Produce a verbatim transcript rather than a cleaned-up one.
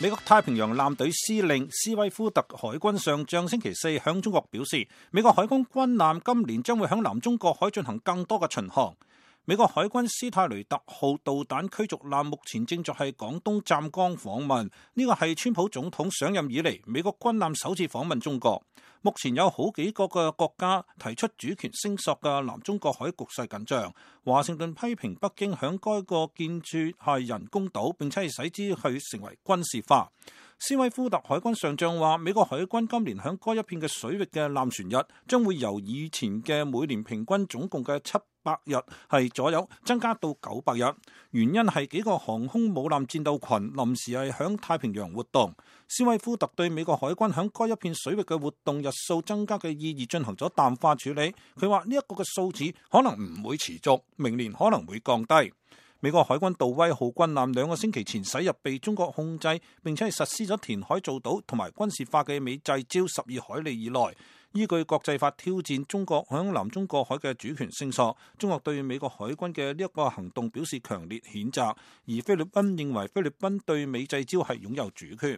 美國太平洋艦隊司令斯威夫特海軍上將星期四向中國表示，美國海軍軍艦今年將會向南中國海進行更多嘅巡航。美國海軍斯泰雷特號導彈驅逐艦目前正在係廣東湛江訪問，呢個係川普總統上任以嚟美國軍艦首次訪問中國。目前有好幾個嘅國家提出主權聲索嘅南中國海局勢緊張，華盛頓批評北京響該個建設係人工島，並且係使之去成為軍事化。斯威夫特海軍上將話，美國海軍今年響該一片嘅水域嘅艦船日將會由以前嘅每年平均總共嘅七百日係左右增加到九百日，原因係幾個航空母艦戰鬥群臨時係響太平洋活動。斯威夫特對美國海軍響該一片水域嘅活動日數增加嘅意義進行咗淡化處理。佢話呢一個嘅數字可能唔會持續，明年可能會降低。美國海軍杜威號軍艦兩個星期前駛入被中國控制並且係實施咗填海造島同埋軍事化嘅美濟礁十二海里以內，依據國際法挑戰中國響南中國海嘅主權聲索。中國對美國海軍嘅呢一個行動表示強烈譴責，而菲律賓認為菲律賓對美濟礁係擁有主權。